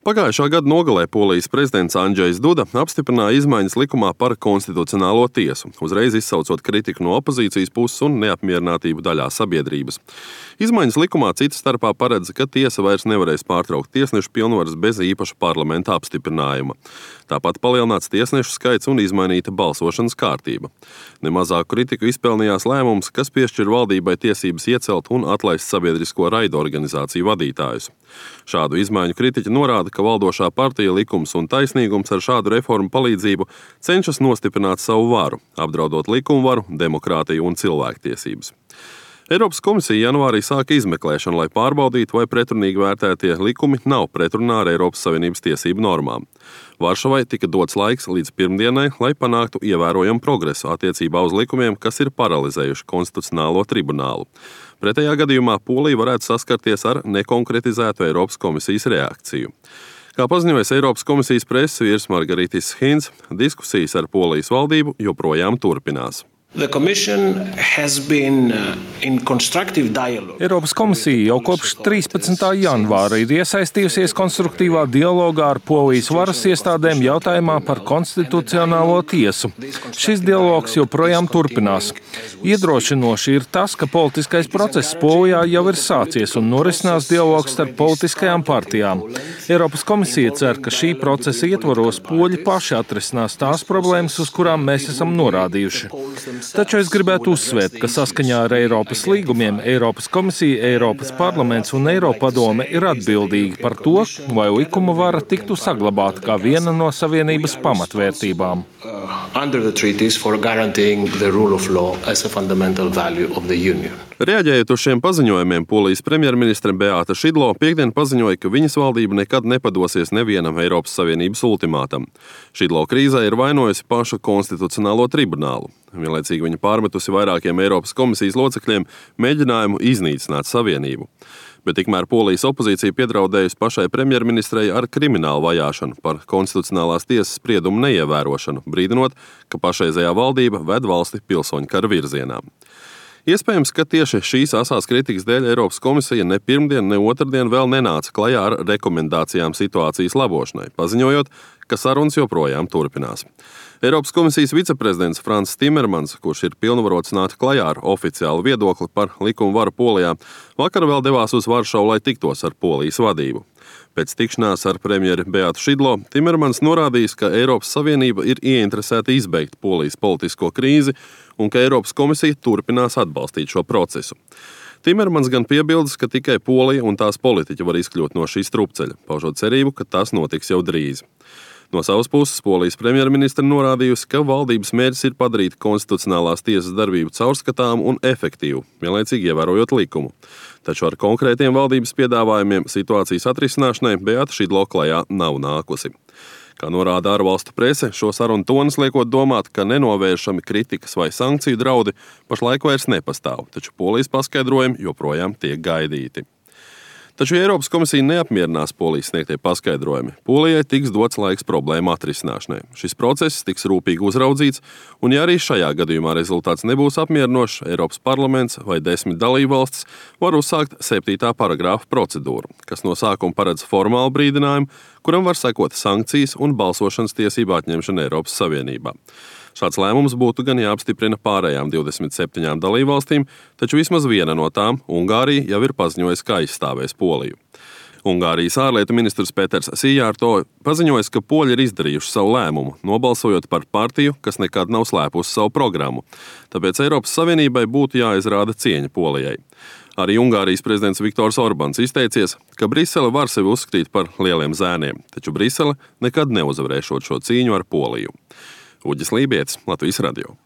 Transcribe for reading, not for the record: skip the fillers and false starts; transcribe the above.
Pagājušā gada nogalē Polijas prezidents Andžejs Duda apstiprināja izmaiņas likumā par konstitucionālo tiesu, uzreiz izsaucot kritiku no opozīcijas puses un neapmierinātību daļā sabiedrības. Izmaiņas likumā citas starpā paredz, ka tiesa vairs nevarēs pārtraukt tiesnešu pilnvaras bez īpaša parlamenta apstiprinājuma. Tāpat palielināts tiesnešu skaits un izmainīta balsošanas kārtība. Nemazāku kritiku izpelnījās lēmums, kas piešķir valdībai tiesības iecelt un atlaist sabiedrisko raidorganizāciju vadītājus. Šādu izmaiņu kritiķi norāda, ka valdošā partija Likums un taisnīgums ar šādu reformu palīdzību cenšas nostiprināt savu varu, apdraudot likumvaru, demokrātiju un cilvēktiesības. Eiropas komisija janvārī sāka izmeklēšanu, lai pārbaudītu, vai pretrunīgi vērtētie likumi nav pretrunā ar Eiropas Savienības tiesību normām. Varšavai tika dots laiks līdz pirmdienai, lai panāktu ievērojamu progresu attiecībā uz likumiem, kas ir paralizējuši konstitucionālo tribunālu. Pretējā gadījumā Polija varētu saskarties ar nekonkretizētu Eiropas komisijas reakciju. Kā paziņojas Eiropas komisijas preses vīrs Margaritis Hinds, diskusijas ar Polijas valdību joprojām turpinās. Eiropas komisija jau kopš 13. janvāra ir iesaistījusies konstruktīvā dialogā ar Polijas varas iestādēm jautājumā par konstitucionālo tiesu. Šis dialogs joprojām turpinās. Iedrošinoši ir tas, ka politiskais process Polijā jau ir sācies un norisinās dialogs starp politiskajām partijām. Eiropas komisija cer, ka šī procesa ietvaros poļi paši atrisinās tās problēmas, uz kurām mēs esam norādījuši. Taču es gribētu uzsvērt, ka saskaņā ar Eiropas līgumiem Eiropas komisija, Eiropas parlaments un Eiropadome ir atbildīgi par to, vai likuma vara tiktu saglabāta kā viena no Savienības pamatvērtībām. Reaģējot uz šiem paziņojumiem, Polijas premjerministre Beata Šidlo piektdien paziņoja, ka viņas valdība nekad nepadosies nevienam Eiropas Savienības ultimātam. Šidlo krīzē ir vainojusi pašu konstitucionālo tribunālu. Vienlaicīgi viņa pārmetusi vairākiem Eiropas komisijas locekļiem mēģinājumu iznīcināt Savienību. Bet tikmēr Polijas opozīcija piedraudējusi pašai premjerministrei ar kriminālu vajāšanu par konstitucionālās tiesas spriedumu neievērošanu, brīdinot, ka pašreizējā valdība ved valsti pilsoņu kara virzienā. Iespējams, ka tieši šīs asās kritikas dēļ Eiropas komisija ne pirmdien, ne otrdien vēl nenāca klajā ar rekomendācijām situācijas labošanai, paziņojot, ka sarunas joprojām turpinās. Eiropas komisijas viceprezidents Frans Timermans, kurš ir pilnvarots nākt klajā ar oficiālu viedokli par likumu varu Polijā, vakar vēl devās uz Varšavu, lai tiktos ar Polijas vadību. Pēc tikšanās ar premjeri Beatu Šidlo, Timermans norādījis, ka Eiropas Savienība ir ieinteresēta izbeigt Polijas politisko krīzi un ka Eiropas komisija turpinās atbalstīt šo procesu. Timermans gan piebildes, ka tikai Polija un tās politiķi var izkļūt no šī strupceļa, paužot cerību, ka tas notiks jau drīz. No savas puses Polijas premjerministre norādījusi, ka valdības mērķis ir padarīt konstitucionālās tiesas darbību caurskatāmu un efektīvu, vienlaicīgi ievērojot likumu. Taču ar konkrētiem valdības piedāvājumiem situācijas atrisināšanai Beata Šidlo klajā nav nākusi. Kā norāda ārvalstu prese, šo sarunu tonis liekot domāt, ka nenovēršami kritikas vai sankciju draudi pašlaik vairs nepastāv, taču Polijas paskaidrojumi joprojām tiek gaidīti. Taču, ja Eiropas komisija neapmierinās Polijas sniegtie paskaidrojumi, Polijai tiks dots laiks problēmu atrisināšanai. Šis process tiks rūpīgi uzraudzīts, un ja arī šajā gadījumā rezultāts nebūs apmierinošs, Eiropas parlaments vai 10 dalībvalstis var uzsākt 7. paragrāfa procedūru, kas no sākuma paredz formālu brīdinājumu, kuram var sekot sankcijas un balsošanas tiesību atņemšana Eiropas Savienībā. Šāds lēmums būtu gan jāapstiprina pārējām 27 dalībvalstīm, taču vismaz viena no tām, Ungārija, jau ir paziņojusi, ka aizstāvēs Poliju. Ungārijas ārlietu ministrs Peters Sijārto paziņojis, ka poļi ir izdarījuši savu lēmumu, nobalsojot par partiju, kas nekad nav slēpusi savu programmu. Tāpēc Eiropas Savienībai būtu jāizrāda cieņa Polijai. Arī Ungārijas prezidents Viktors Orbans izteicies, ka Brisele var sevi uzskatīt par lieliem zēniem, taču Brisele nekad neuzvarēšot šo cīņu ar Poliju. Uģis Lībietis, Latvijas radio.